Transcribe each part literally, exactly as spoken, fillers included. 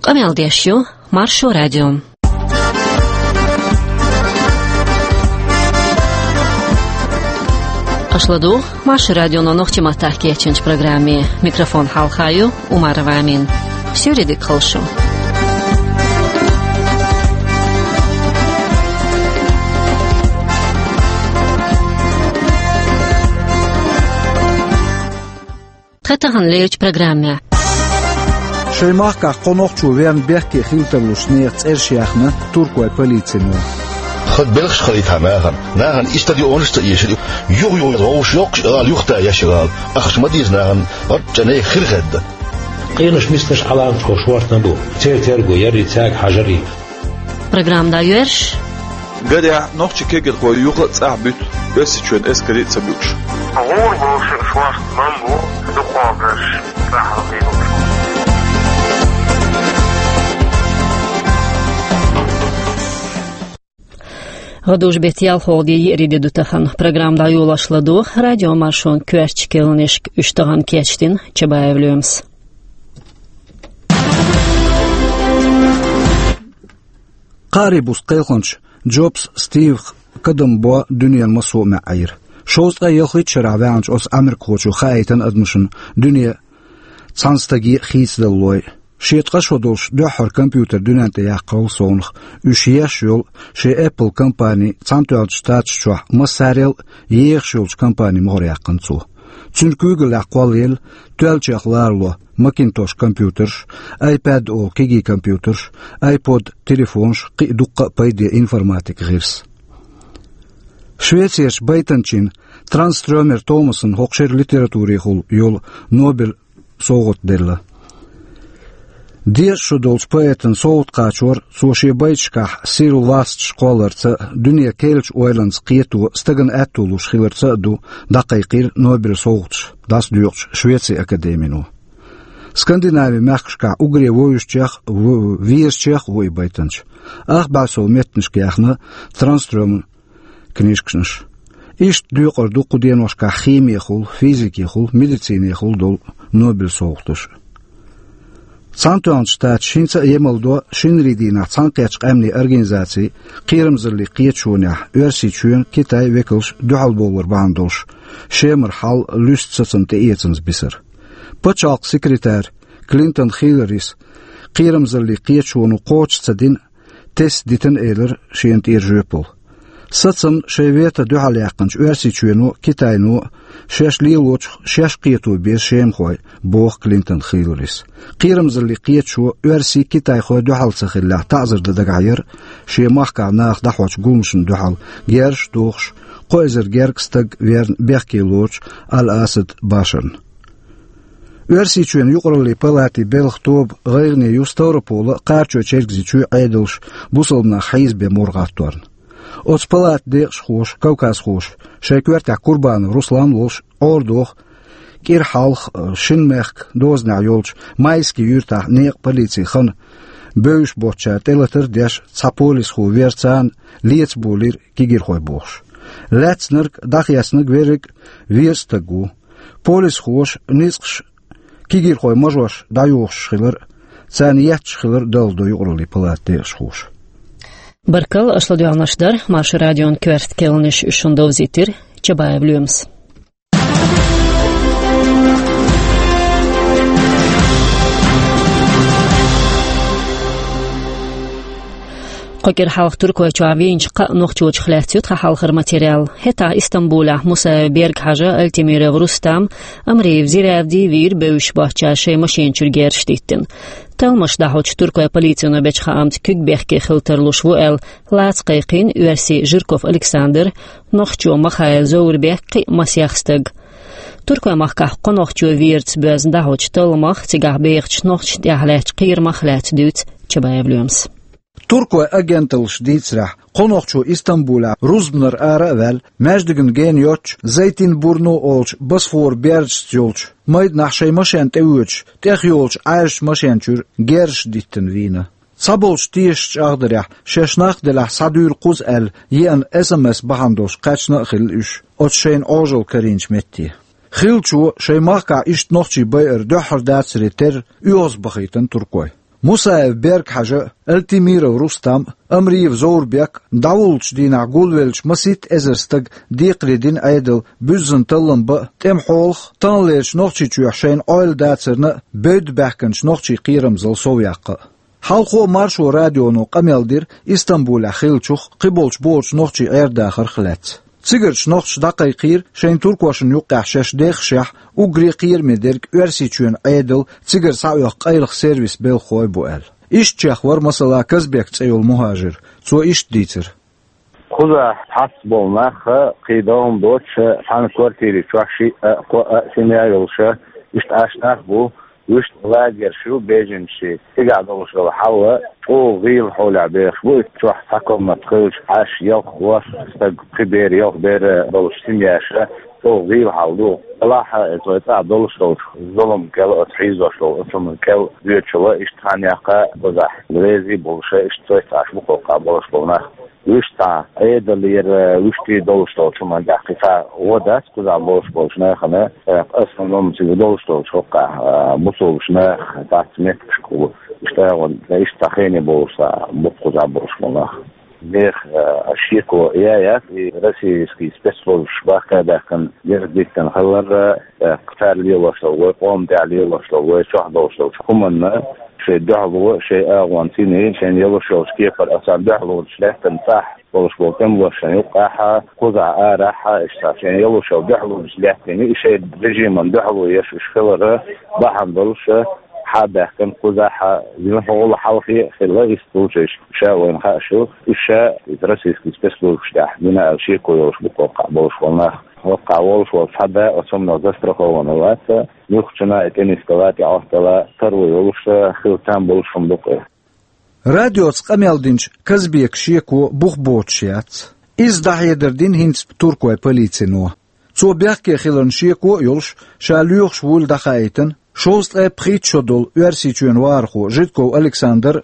Къамел деш ю Маршо радио. Аша ладугӀу Маршо радионо нохчийн маттахь кечйинчу программе. Микрофон хьалха ю Умарова Амина. Суьйре дика хуьлда шу. Тхан тахана лерчу программехь. Шайн махкахь кхо нохчо верна бехке хила тарлуш нехан цӀераш яьхна туркойн полицино. Хаза белхаш хилийтахь нахана, нахана и стадионаш а ца эшира, юха-юха вовшах йоккхуш ала юхатаеш ала, ахча ма дийца нахана, гӀорчӀа нехан хир хедда. Къенош мисканаш Ӏаламат ховш вортан бу, церан терго ярий, цаьрга хьажарий. Программа дӀайоьрзуш. Гадехь нохчийн кегийрхой юха а цӀахь буьту, Оьрсийчоьнан эскаре а ца буьгуш. ГӀур болуш шуьш васт ман бу, дукхагӀберш цӀахь хилла. ГӀадужу-беттан ялхолгӀа де, еарин де ду тахана. Программа дӀайолош ладогӀа радиомаршонан коьртачу керланашка, уьш тахана кечдина Чабаев Лоьмас. Кхаарин бус кхелхинчу Джобс Стиван кадам бо дуьненан массо а маьӀӀера. Шовзткъе ялхитта шарахь ваьхначу оцу америкахочо хаийтина адамашна дуьне цхьана стаге а хийцадалалой. Шен ткъа шо долуш дуьххьара компьютер дуьнен тӀе яьккхина совнаха, уьш еш йолу шен Apple компани Цхьаьнатоьхначу Штаташ чохь массарел а ехаш йолчу компанин могӀарехь яьккхина цо. Цуьнан куьйгаллехь кхоллаелла тоьллачех ларало Macintosh компьютерш, iPad олу кегий компьютерш, iPod телефонаш, кхин а дуккха а пайде информатикан гӀирс. Швецерчу байтанчин Транстрёмер Томасна хӀокху шеран литературехула йолу Нобель совгӀат делла. Деза шо долчу поэтан совгӀат кхачор цо шен байташкахь сирла васташ кхолларца а, дуьне керлачу ойланца кхето стагана аьтто луш хиларца а ду дӀакхайкхийра Нобель совгӀаташ дӀасадоькъучу Швецин академино. Скандинавин мехкашкахь уггаре вовзуьйтучех а, в-, везачех а ву и байтанча. Ах бӀе сов меттанашка яьхна Транстрёман книжкаш. Иштта декъар ду кху деношкахь химехула, физикехула, медицинехула долу Нобель совгӀаташ. Цхьаьнатоьхначу Штаташа хӀинца а емалдо шинарин дийнахь Цхьаьнакхеттачу къаьмнийн организацин кхерамзаллин кхеташонехь Оьрсийчоьнан, Китайн векалш дуьхьалбовлар бахьана долуш Шемара хьал луьсту сацам тӀеэцамза бисар. Пачхьалкхан секретарь Клинтон Хилларис кхерамзаллин кхеташоно кхочуш ца дина, тесна дитина элира шена тӀера жоьпалла. Сацам шайн вето дуьхьал яьккхинчу Оьрсийчоьно а, Китайно а шаьш лелочух шаьш кхето беза шемахой, боху Клинтон Хилларис. Кхерамзаллин кхеташо оьрсий, китайхой дуьхьал ца хиллехь, таӀзар дан дагахь яра шен махкахь наха дӀахьочу гуламашна дуьхьал, герзаш а дохуш, кхо эзар гергга стаг верна бехке лоручу Аль-Асад Башарна. Оьрсийчоьнан юкъараллин палатин белхан тоба гӀайгӀане ю Ставрополан а, Кхарачой-Чергазийчоьнан а Ӏедалш бусалба нах хьийзабен мур гӀатторна. Оцу палатан декъашхоша, кавказхоша, шайн коьртехь Курбанов Руслан а волуш, Ӏорадоху кӀира хьалха, шина мехкан дозанехь йолчу Майски юьртахь некъан полицин хан бевзаш боцучара тӀелатар а деш, цхьа полисхо вер, царна лецаболийра кегийрхой бохуш. Лаьцнарг, дӀахецнарг верриг а веза стаг ву. Полисхоша ницкъаш кегийрхойн мажош дӀайохуш хилар а, царна етташ хилар а далладо юкъараллин палатан декъашхоша. Баркалла, аша ладоьгӀнарш дара Маршо радион коьрта керланаш, уьш шуна довзийтира Чабаев Лоьмас. Кхо кӀира хьалха Туркойчохь вийначу кхаа нохчочух лаьцна ю тхан хьалхара материал. ХӀетахь Истамбулехь Мусаев Берг-Хьажа, Альтемиров Рустам, Амриев Зиравди вийра бевзаш боцучара шайн машина чуьра герзаш диттина. Талламаш дӀахьочу туркойн полицино бечу хаамца куьг бехке хила тарлуш ву аьлла, лаца кхайкхийна оьрсий Жирков Александр, нохчо Махаев Зовурбек, кхин а масех стаг. Туркойн махкахь кхо нохчо верца боьзна дӀахьочу талламах, цигахь бехачу нохчашна тӀехь лаьттачу кхерамах лаьцна дуьйцу Чабаев Лоьмас. Туркойн агенталлаша дийцарехь, кхо нохчо Истамбулехь рузбанара ара а ваьлла, маьждигна гена йоццуш, Зайтинбурну олучу Босфоран бердашца йолчу майданахь шайн машен тӀевоьдуш, тӀехйолучу Ӏаьржачу машен чуьра герзаш диттина вийна. Цхьаболчу тешаш чӀагӀдарехь, шаьш нах делахь, схьадуьйла кхуза аьлла еана эс эм эс бахьана долуш кхаьчна а хилла уьш оцу шайна Ӏожалла карийначу метте. Хиллачо шайн махкахь иштта нохчий байар дуьххьара дацаре терра оьгӀазбахийтина туркой. Мусаев Берг-Хьажа а, Алтимиров Рустам а, Амриев Зоврбек а дӀавуллучу дийнахь гулвеллачу масийтта эзар стага декхаре дина Ӏедал буьззина таллам бан а, тӀеман хьолах а, таханлерчу Нохчийчохь шайна Ӏойла дацарна а бевдда баьхкинчу нохчийн кхерамзалла совъяккха а. Хьалхо а Маршо радионо къамел дира Истамбулехь хиллачух а, кхиболчу бохучу нохчийн Ӏер-дахарх а лаьцна. Цигарчу нохчаша дӀакхайкхийра шайна туркошна юккъехь шаьш дехашехь, уггаре а кхераме дерг Оьрсийчоьнан Ӏедал а, цигара схьаоьху къайлаха сервисан белхахой бу аьлла. Ишттачех вара, масала, Казбек цӀе йолу мухӀажир. Цо иштта дийцира. Кхузахь цхьацца болу нах а, кхин догӀма доцуш а, цхьана квартири чохь шиъ а, кхоъ а семья йолуш а, иштта Ӏаш нах а бу, вуьшта лагерш ю беженцийн. Цигахь долуш долу хьал а чӀогӀа гӀийла хьолехь бехаш бу, и чохь цхьа комната хилча, Ӏаш ялх-ворхӀ стаг, пхи бер, ялх бер долуш семьяш а, чӀогӀа гӀийла хьал ду. Делахь а, оцу цӀахь долуш долчу зуламан кӀел, оцу хьийзош долу оцу хӀуманна кӀел доьдуш а, иштта цхьана яккха а кхузахь реза а болуш а, иштта цхьацца Ӏаш бу кхузахь болуш болу нах. Вуьшта цхьа Ӏедалера, вуьшта долуш долчу хӀуманна тӀехь кхин цхьа гӀо дац кхузахь болуш болчу нахана, тӀаккха в основном цига долуш долчу хӀокхахь, а, бусулбачу нах, цхьацца меттигашка, иштта а гӀо, иштта цхьа хене болуш цхьа бу кхузахь болуш болу нах. Нехан, а, шеко яц, и российский спецслужбаш бахка а баьхкина, дерг диттина хилар, а, тӀаккха цара лелош долу, вай къоман тӀехь лелош долу, вай чохь долуш долчу хӀуманна шайн дуьхьало, шайн агӀонца йина, шайна йолуш йолчу кепара, а, царна дуьхьалонаш лаьттина цӀахь болуш болу тӀемалошна юккъехь а, кхузахь а, арахь а, иштта шайна йолуш йолу дуьхьалонаш лаьттина, и шайн режиман дуьхьало еш уьш хилар а бахьана долуш а, схьа а баьхкина кхузахь а, зина хьолан хьалхе а хилла, иштта лучу ша вайна хууш ю, уьш ша иза российский спецслужбаш тӀехь дина аьлла шеко йолуш бу кхузахь болуш болу нах. ХӀокхахь волуш волу цхьа да оцу хӀуманах застрахована вац, юхачунна и тӀенисдала, тӀеӀоттала, таро йолуш а, хила там болуш хӀума ду-кх и. Радиоца къамел динчу Казбекан шеко бух боцуш яц. Иза дӀахьедар дина хӀинца туркойн полицино. Цо бехке хиларна шеко а йолуш, ша лоьхуш вуйла дӀахаийтина шовзткъе пхийтта шо долу Оьрсийчоьнан вахархо Жидков Александр а,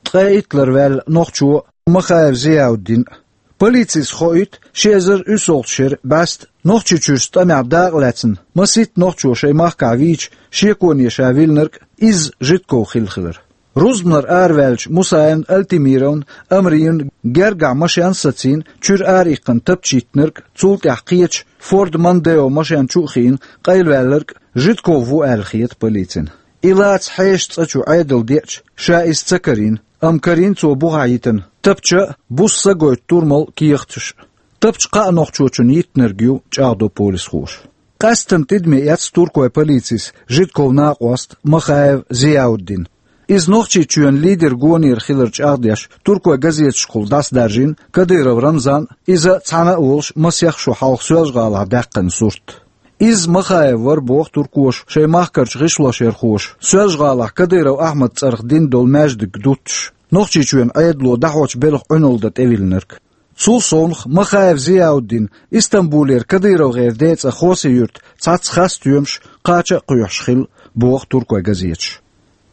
ткъе итт лар ваьлла нохчо Махаев Зияуддин а. Полицис хоуьйту ши эзар уьссалгӀачу шеран бӀаьста Нохчийчуьрчу тӀамехь дакъа лаьцна масийтта нохчо шайн махкахь вийча шеконе ша виллинарг а изза Жидков хилла хилар. Рузбанара араваьллачу Мусаевн, Алтимировн, Амриевн гергахь машен а сацийна, чуьра араиккхина тапча йиттинарг а, цул тӀаьхьа кхечу Форд Мондео машен чу а хиъна къайлаваьлларг а Жидков ву аьлла хета полицина. И лаца хьеша цӀа чу Ӏедал деача, ша иза ца карийна, амма карийна цо бухахь йитина тапча а, буса са гойту турмал а, кехаташ а. Тапча кхаа нохчочунна йиттинарг ю, чӀагӀдо полисхоша. Къаьсттина тидаме эцна туркойн полицис Жидковн накъост Махаев Зияуддин. Иза Нохчийчоьнан лидеран гонера хилар чӀагӀдеш, туркойн газеташкахула дӀасадаржийна Кадыров Рамзан а, иза цхьаьна а волуш масех шо хьалха Соьлжа-ГӀалахь даьккхина сурт. Изза Махаев вара, боху туркоша, шайн махкарчу гӀишлошъярхоша Соьлжа-ГӀалахь Кадыров Ахьмадан цӀарах дина долу маьждиг дуттуш, Нохчийчоьнан Ӏедало дӀахьочу белхан Ӏуьналла дан тӀевиллинарг. Цул совнаха Махаев Зияуддин Истамбулера КадыровгӀеран декъа Хоси-Юьрта цхьацца хасстоьмаш, кхача а кхоьхьуш хилла, боху туркойн газеташа.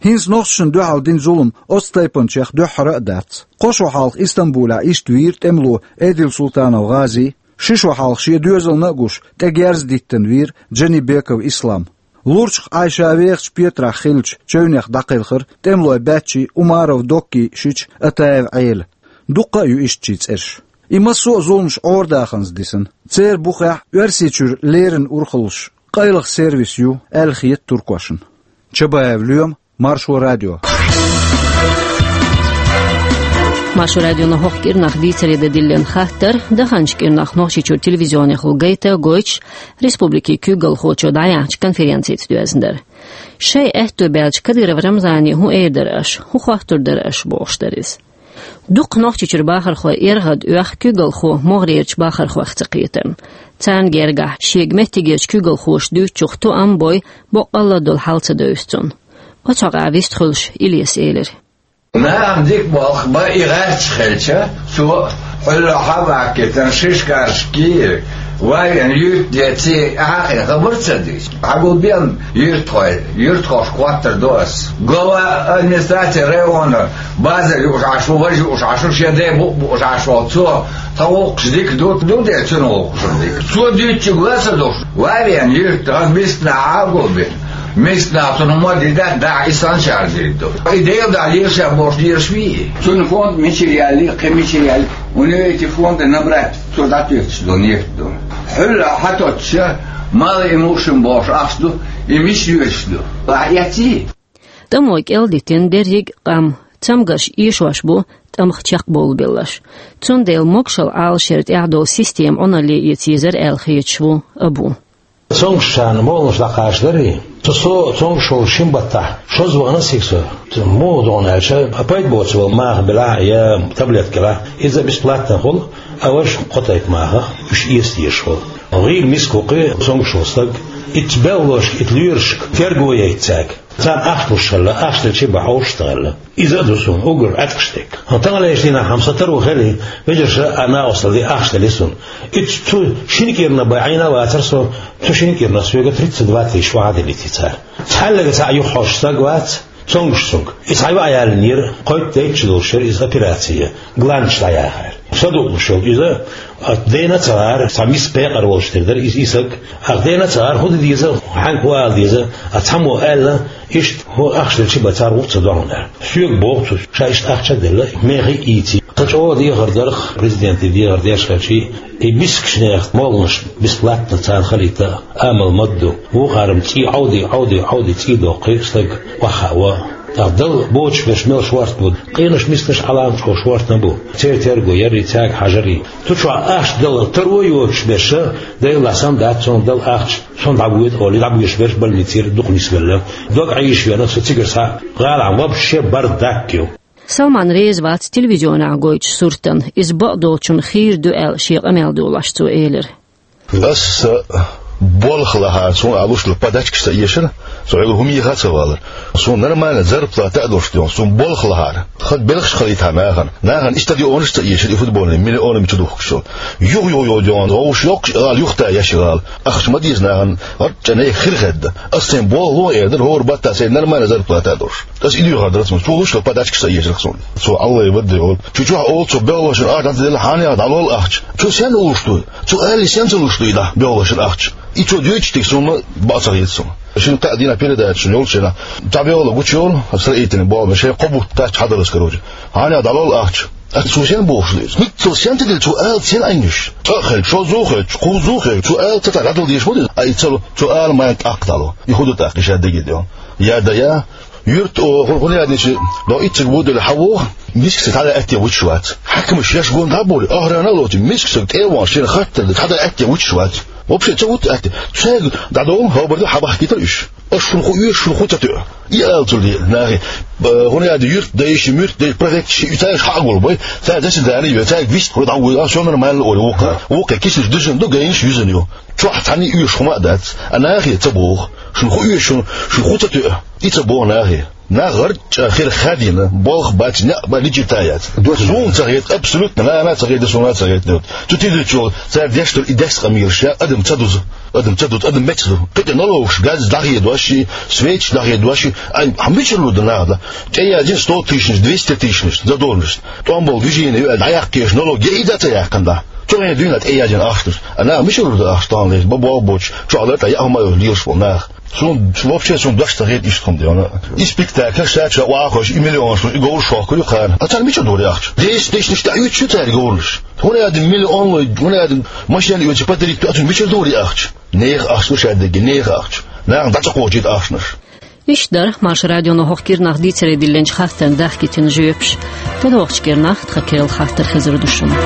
ХӀинца нохчашна дуьхьал дина зулам оцу тайпанчех дуьххьара а дац. Кхо шо хьалха Истамбулехь иштта вийра тӀемало Эдилсултанов ГӀази, ши шо хьалха шен доьзална а гуш, тӀе герз а диттина вийра Джанибеков Ислам. Лурчах Ӏай ша вехачу Петрахь хиллачу чевнех дӀакхелхира тӀемалойн баьччий Умаров Доккий шича Атаев Ӏела. Дуккха а ю ишттачийн цӀераш. И массо а зуламаш Ӏорадаханза дисина. Церан бухехь Оьрсийчуьра леррина урхаллаш къайлаха сервис ю аьлла хета туркошна. Чабаев Лоьма, Маршо радио. Маршо радионо хӀокху кӀирнах дийцаре дан диллина хаттар, даханчу кӀирнах Нохчийчуьра телевизионехула гайта а гойтуш, республикин куьйгалхочо дӀаяьхьначу конференцица доьзна дара. Шайн аьтто баьлча Кадыров Рамзане хӀун эр дара аша, хӀун хоттур дара аша, бохуш дара иза. Дукха Нохчийчуьра бахархой эргӀад оьху куьйгалхо могӀарерчу бахархойх ца кхетарна. Царна гергахь, шега меттигерчу куьйгалхоша дуьйцучух тоам а бой, боккъалла а долу хьал ца девза цунна. Оцу хьокъехь вистхуьлуш Илеса элира. Нахана дика болх бан и гӀерташ хилча, цо хьуьллахь а ваккхийтина шишкарш кийра, вайна юьртдеций, ахьа а хабар ца дийца. Хьагулбен юьртахой, юьртахошка хоттур ду ас. Глава администрации района базар юуш Ӏаш ву, важа юуш Ӏаш ву, шен ден бу-, бууш Ӏаш волу цо, тхан гӀуллакхаш дика ду, ду де цуьнан гӀуллакхаш дика. Цо дуьйцучуьнга ла ца душ, вай вен юьрта, хаза мисканахь Ӏагулбен. Миска нах цунах ма дий, да, да, и санчар дийр ду. И Дела дӀа лелаш бош лелаш вий. Цунна фонд мичара яьлли, кхин мичара яьлли. У него эти фонды набрать, цо дӀатоьхташ ду, нефть ду. Хьуьлла хьатотташ, мало имущим бош ахча ду, и мича йоьдуш ду. Ахьа эций? ТӀамо кӀел дитина дерриг а къам, цамгарш эшош бу, тӀамах чекхбовлабелларш. Цундела могашалла Ӏалашъяра тӀехь долу система Ӏуналле эца езар аьлла хеташ ву Абу. Цомгушчарна молханаш дӀакхачадарий? Цу со цомгуш волу шин баттахь шозза вахана цига со. Муха догӀу аьлча, а пайда боцу волу маха белахь а, я таблетка белахь, иза бесплатно хуьлу, а важа кхо тайпа маха, уьш эца дезаш хуьлу. ГӀийла миска ву кхин цомгуш волу стаг, итт белхалошка, итт лоьрашка терго яйта цаьрга. Царна ахча луш хилла, ахча делчи бан хьовш ца хилла. Иза а ду суна, уггар Ӏаьткъаш дерг. Хьан таханлерчу дийнахь хьан сан таро хили, вежарша а накъосталла де ахча дели суна. Итт цу шина кӀирна бан Ӏийна а вацара со, цу шина кӀирна соьга тридцать два тысяча охьа делийти цара. Цхьаьллага цхьаъ юхахьожуш стаг вац, цомгуш цунга. И цхьа йоӀ яьллинера, кхойтта дайтча долуш яра иза операция, гланаш дӀаяхьара. Садуълуш йолу иза, а, дена ца гӀара, цхьа миска пекъар волуш тера дара иза, и саг. Ах дена ца гӀара, хӀун де деза, хьаьнга хӀун ала деза, а цхьаммо аьлла, иштта хӀун ахча делчи бан цара гӀур ца догӀу аьлла. Соьга боху цо, ша иштта ахча а делла, мехий а ийций. Тхан чӀогӀа дехар дарх, президенте дехар деш хилчий, и мискачу нехан молханаш бесплатно царна халийта амал ма ду. Вукхара-м цӀий Ӏовди, Ӏовди, Ӏовди, цӀий доккхий стаг охьахаа. ТӀаккха Далла боцуш берш мел шорта бу, къенош мисканаш Ӏалам чӀогӀа шортан бу. Церан терго ярий, цаьрга хьажарий. Цу чохь ахча дала таро йоцуш берша, Дела сам дац, цунна дала ахча, сон дӀабоьду олий, дӀабоьдуш берш больницера дукха нисвелла. Дог Ӏийша вена, со цигара схьа гӀала Ӏан вообще бардак ю. Салман реза вац телевизионехь гойтучу суртан, иза бакъдолчунна хийра ду аьлла шен къамел долош цо элира. Аса болх лахьара, суна а луш ду, подачкаш ца эшара, со хьуьлла хӀума еха а ца валара. Суна нормально зарплата а долуш дуьйна, суна болх лахьара. Хаза белхаш хилийтахьа нахана. Нахана и стадионаш ца эшара, и футбольный, миллионами чу духкуш йолу. Юха-юха-юха дуьйна, вовш йоккхуш гӀала, юхта еш гӀала. Ахча ма деза нахана, гӀарчӀа нехан хир хедда. Аса сайн болх ло эр дара, хӀора баттахь сайн нормально зарплата а долуш. Аса и дуьйхар дара цунна. Цо луш ду, подачкаш ца эшара суна. Цо Аллай вадда йолу. Чу чохь олу цо белхалошна ахча дӀаделла, хьанех дӀалол ахча. Цо сен луш ду? Цо аьлли, сен ца луш ду и дӀа белхалошна ахча? И цо дуьйцуш дерг суна бакъ ца хета суна. Шина кхаа дийнахь передача шуна йолчу хенахь, цхьа белхало гучуйолу, строительный болх беш, шайн кхо бутт кхаьчча хьадалаза, короче. Хьанех дӀалол ахча? Аса цо сен бохуш ду иза? ХӀинца цо сен ца делла, цо ала сен Ӏийна уьш? ЦӀа а хилча, шозза а хилча, кхузза а хилча, цо ала ца цхьа дӀадала дезаш ма деза? Ай, ца ло, цо ала ма тӀаккха дӀало. И хӀун ду тӀаккха, и ша дагийда йо? Я да я, юьрта оха, хӀун яьдинчи, до ицциг бу делла хьавогӀу, миска ца дӀа атте вучуш вац. Хьаькамаш шаьш гон дӀа а бовлий, охрана а лоций, мискачу стага тӀе а вахана, шена хаттар дан, цхьа дан атте вучуш вац. Вообще ца вутта атте. Цаьрга дӀадовла, хӀобар ду, хьабахкийтар уьш. Аш шуна хӀун оьшу, шуна хӀун ца тоьу? И ала цул де, нахе. Б-, хӀун яьдда, юьртдайша, муьртдайша, префекташ, и цаьргаш хьа а гулбой, цаьрга дӀасадаьнна йой, цаьрга вист хуьлу дӀавуй, а, всё нормально олий вукхара. Вукхе кисанаш дуьзна ду, гайнаш юьзна ю. Чохь цхьанний оьшу хӀума а дац. А нахе ца боху. Шуна хӀун оьшу, шуна, шуна хӀун ца тоьу? И ца боху нахе. Нах гӀарчӀа хир хадийна, болх бац, неӀ бан личи та яц. Суна ца хета, абсолютно, нана ца хета, суна ца хета. Цу тидачул цара деш долу и дес къамелаш, адам ца дузу, адам ца дузу, адам меца ду. Кхин тӀе налогаш, газ дӀахедош, свечи дӀахедош, ай, хьан мичара лур ду нахала? ТӀеязйина сто тысячнаш, двести тысячнаш, задолженность. ТӀом болу движение ю аьлла, дӀаяккхийша налог, я и дан ца яьккхина дӀа. Цу хенахь дуьйна тӀеязйина ахчанаш. А нах мичара лур ду ахча тахана леш, бан болх боцуш, чохь лар тӀе яа хӀума йолуш лелаш болу нах. Суна, вообще, суна дош ца хета иштта хӀума де. И спектакль ша чохь вахош, и миллионаш, и говраш хохкур ю кхана. А цара мичара дора ахча? Десять тысячнаш тӀе оьцуш ю цара говраш. ХӀун яьдда миллион лой, хӀун яьдда машен оьцу подарить ду, а цара мичара дора ахча? Нехан ахча ду ша дерриге, нехан ахча. Нахана дӀа ца кхочийта ахчанаш. Иштта дара Маршо радионо хӀокху кӀирнах дийцаре диллинчу хаттарна дахкийтина жоьпаш. ТӀедогӀучу кӀирнахь тхан керла хаттар хезар ду шуна.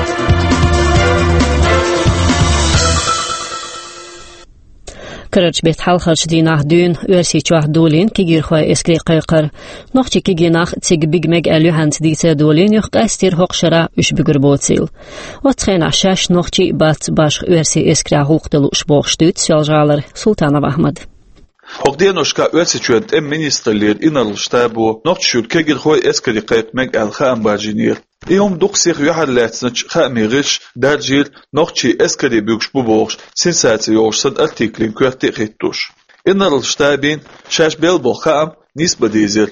Карарчу беттан хьалхарчу дийнахь дуьйна Оьрсийчохь долийна кегийрхойн эскарийн кхайкхар. Нохчийн кегий нах цига бига мега аьлла юьхьанца дийца а долийна юха, къаьстира хӀокху шарахь уьш буьгур боцийла. Оццу хенахь шаьш нохчий а бац башха оьрсийн эскарехь гӀуллакх дан лууш бохуш дуьйцу Соьлжа-ГӀалара Султанов Ахьмада. ХӀокху деношкахь Оьрсийчоьнан тӀеман министраллера инарла штабо Нохчийчуьра кегийрхойн эскарийн кхайкха мега аьлла хаам баржийнера. И хӀума дукха сиха юьхьарлаьцначу хаамийн гӀирсаша даржийра нохчийн эскаре буьгуш бу бохуш, сенсаци йолуш санна артиклийн коьрте а хӀиттош. Инарла штабина шаьш белла болу хаам нийса бан дийзира.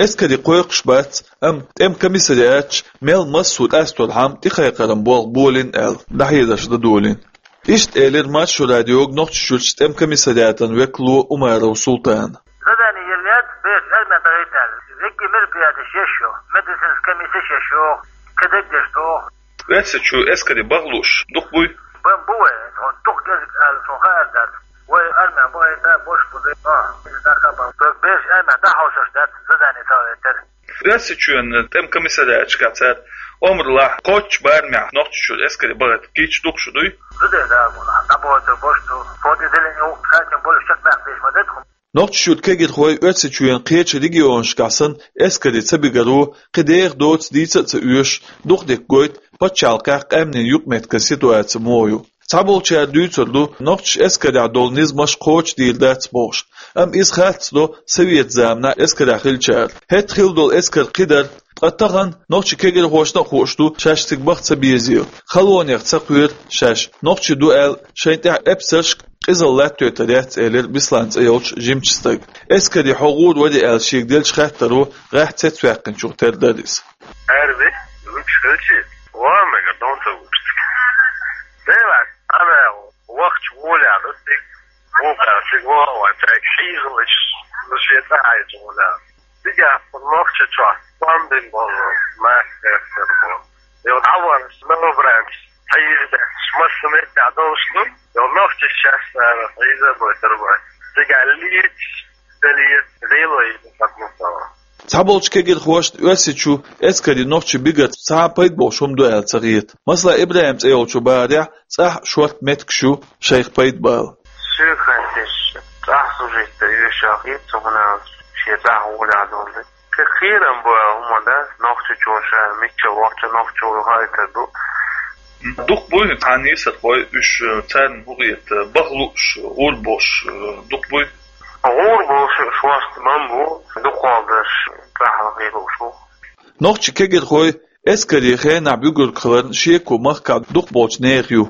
Эскарийн кхойкхуш бац, амма тӀеман комиссариаташа мел массо а къасторхьама тӀекхайкхаран болх болийна аьлла, дӀахьедарш дан долийна. Иштта элира Маршо радиога Нохчийчуьрчу тӀеман комиссариатан векало Умаров Султана. Царейтал. Векки мероприятие шешо. Медицинская комиссия шешо. Кадек дешто. Оьрсийчу эскаре бахлуш дукха буй? Бан бу вай, он дукха гезг аьлла сон хаар дац. Вай армия бахайта бош буду. А, из даха бан. Беш армия дахаушаш дац, задание царейтал. Оьрсийчоьн тӀем комиссариаташка цар омралахь кхоччу барамехь Нохчийчуьра эскаре бахийта кийча дукха шу дуй? Зуда да, бу, а, дӀабахийта бош ду. Подразделение у, кстати, больше чекх баьхна деш ма дед хӀума. Нохчийчуьра кегирхой Оьрсийчоьнан кхечу регионашкахь санна эскаре ца бигаро, кхин деха доцу дийца а ца оьшуш, дукха дика гойту пачхьалкхехь къаьмнийн юкъаметтиган ситуаци муха ю. Цхьаболчара дуьйцур ду, нохчаша эскарехь долу низамаш кхочушдийр дац бохуш, амма иза харц до совет заманахь эскарехь хиллачара. ХӀетахь хилла долу эскар кхин дара, ткъа тахана нохчийн кегирхошна а хууш ду шаьш цига баха ца безийла. Халонех ца кхоьру шаьш, нохчий ду аьлла, шайна тӀехь эпсаршка къизалла латтойтур яц, элира Беслан цӀе йолчу жимачу стага. Эскаре хьо гӀур варий аьлла шега деллачу хаттаро гӀеххьа цецваьккхинчух тера дара иза. Арви, лучше хилчи, ва мега дон ца вуш. Дела, ана, вахча гуляда, тик, вуха, тик, вуха, тик, хьийзалаш, ну, шеца айта гуляда. Тига, нохча чо, пандин болу, мастер болу. Йо, давар, новобранец, хьийза, шмассамет, я должен, йо, нохча сейчас, наверное, хьийза будет, тига, лиц, лиц, зелой, как мы. Цхьаболчу кегирхошна Оьрсийчу эскаре нохчий бигарца цхьа а пайда болуш хӀума ду аьлла ца хета. Масала, ИбрахӀим цӀе йолчу бахарехь цӀахь а шорта меттигаш ю шайх пайда бала. Соьга хаттеш, цӀахь служить дан оьшуш хета, цу хӀуна шен цӀахь гӀолехь долу. Кхин кхерам бу аьлла хӀума дац, нохчичо ша мичча вахча нохчо ву хайтар ду. Дукха буй цхьана йисархой, уьш, царна хӀун хета, баха лууш, гӀур болуш, дукха буй? ГӀур болуш уьш васт бан бу, дукхалдаш цӀахь лахе лууш ву. Нохчий кегирхой эскаре хенахь буьгург хиларна шеко махкахь дукхахболчу нехан ю.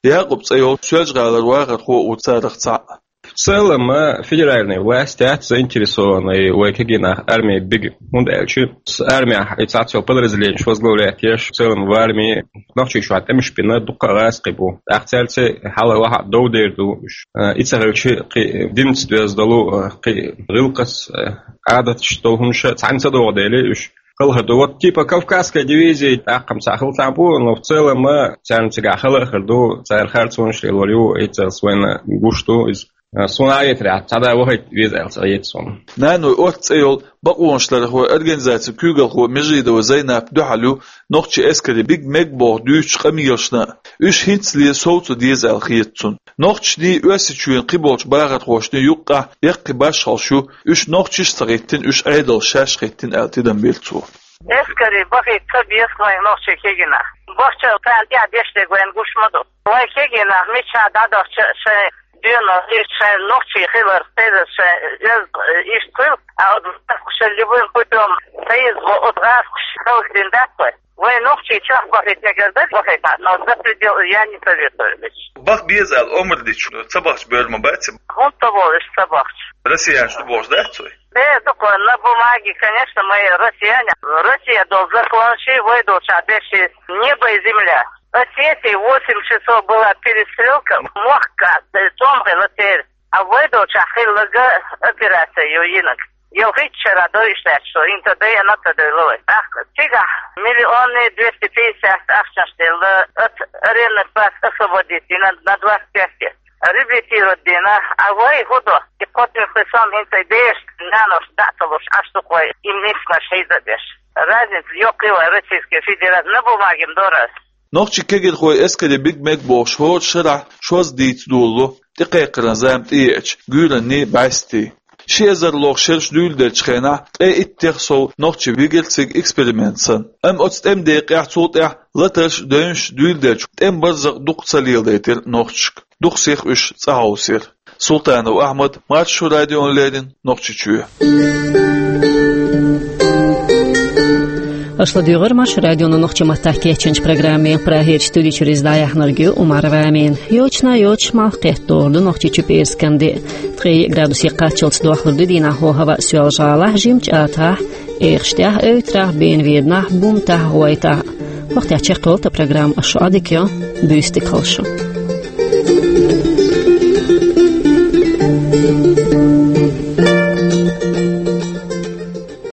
Якъуб цӀе йолчу Соьлжа-ГӀалара вахархо а ву царах цхьаъ. В целом, а, федеральная власть яц заинтересована вай кегий нах армии бига. ХӀунда аьлча, с-, армия и цхьацца йолу подразделенеш возглавлять еш, в целом в армии нохчийчохь тӀемаш бина дуккха а гӀазкхий бу. ТӀаккха цаьрца хьала-ваха дов дер ду уьш. А, и ца хилча, кхин динца доьзна долу, а, кхин гӀиллакхаш, а, Ӏадаташ долу хӀумнаш цхьаьна ца догӀу дели уьш. Хала хир ду. Вот, типа, Кавказская дивизия, тӀаккха-м цхьа хила цхьаьна бу, но в целом, а, царна цигахь хала а хир ду, цара харцонаш лелор ю, и царца вайна гуш ду иза. А, суна а етарехь, цхьа да вахайта веза аьлла ца хета суна. Нанойн орца цӀе йолу бакъонашларъярхойн организацин куьйгалхо Межидова Зайнап дуьхьал ю нохчийн эскаре бига мега боху дуьйцучу къамелашна а. Уьш хӀинцале совца деза аьлла хета цунна. Нохчашний, Оьрсийчоьнан кхиболчу бахархошний юккъехь яккхий башхаллаш ю, уьш нохчаша а ца хӀиттина, уьш Ӏедалша шаьш хӀиттина аьлла тидам бира цо. Эскаре бахийта ца беза вайн нохчийн кегий нах. Бахча царна тӀехь деш дерг вайна гуш ма ду. Вайн кегий нах миччахьа дӀадахча а шайн доьналла, иштта шайн нохчий хилар, кхидӀа шайн оьзда, э, иштта хуьлу, а оцу гӀазкхаша любым путём ца йиза, оцу гӀазкхаша халхадина дац вай. Вай нохчий чохь бахийта мегар дара бахийта, но за пределы я не советую. Баха беза аьлла омра дича, ца бахча бер ма бац? ХӀунда ца боху уьш ца бахча? Россиянаш ду бохуш дац вай? Э, дукха, на бумаге, конечно, мы россияне. Россия долу законаш, вай долчохь дерш небо и земля. Осетии восемь часов была перестрелка, мохк, э, тӀом хилла церан. А вай долчохь хилларг операция ю йинарг. Йо, хӀитта шарахь дойуш лаьтташ, что хӀинца дайна ца дойла вай. ТӀаккха цигахь миллионный двести пятьдесят ахчанаш делла, от арендных плат освободить йина на двадцать пять. Реабилитировать дина, а вай хӀун до? И кхоттамехь сом хӀинца и бераш, нанош дӀа а ца луш, Ӏаш ду-кх вай, и мисканаш хьийза а деш. Разница йоккхий вай Российская Федерация, на бумаге-м дора ас. Нохчийн кегирхой эскаре бига мега бохуш хӀора шарахь шозза дийца долало, тӀекхайкхаран зама тӀееача, гуьйранний, бӀаьстий. Ши эзар лоху шераш дуьйладеллачу хенахь, ткъе иттех сов нохчий вигира цига эксперимент санна. Амма оцу тӀеман декъехь, цул тӀаьхьа латарш а, девнаш а дуьйладелча, тӀеман барзакъ дукха ца леладайтира нохчашка. Дукха сиха уьш цӀа хьовсийра. Султанов Ахьмад, Маршо радиона леррина, Нохчийчоь. Аша ладуьйгӀира Маршо радион нохчийн маттахь кечйинчу программе. Прагерчу студи чуьра иза дӀаяьхьнарг ю Умарова Амина. Йочана йоцуш малх кхетталур ду Нохчийчу пӀераскан де. Ткъе йиъ градусе кхаччалц дохлур ду дийнахь хӀаваъ Соьлжа-ГӀалахь, жимачу АтагӀахь, Эхаштехь, Эвтарахь, Бенаведенахь, Бумтахь, ГӀойтӀахь. ХӀокху тӀехь чекхйолу тхан программа, аша шун Ӏодика йо, буьйса дика хуьлда шун.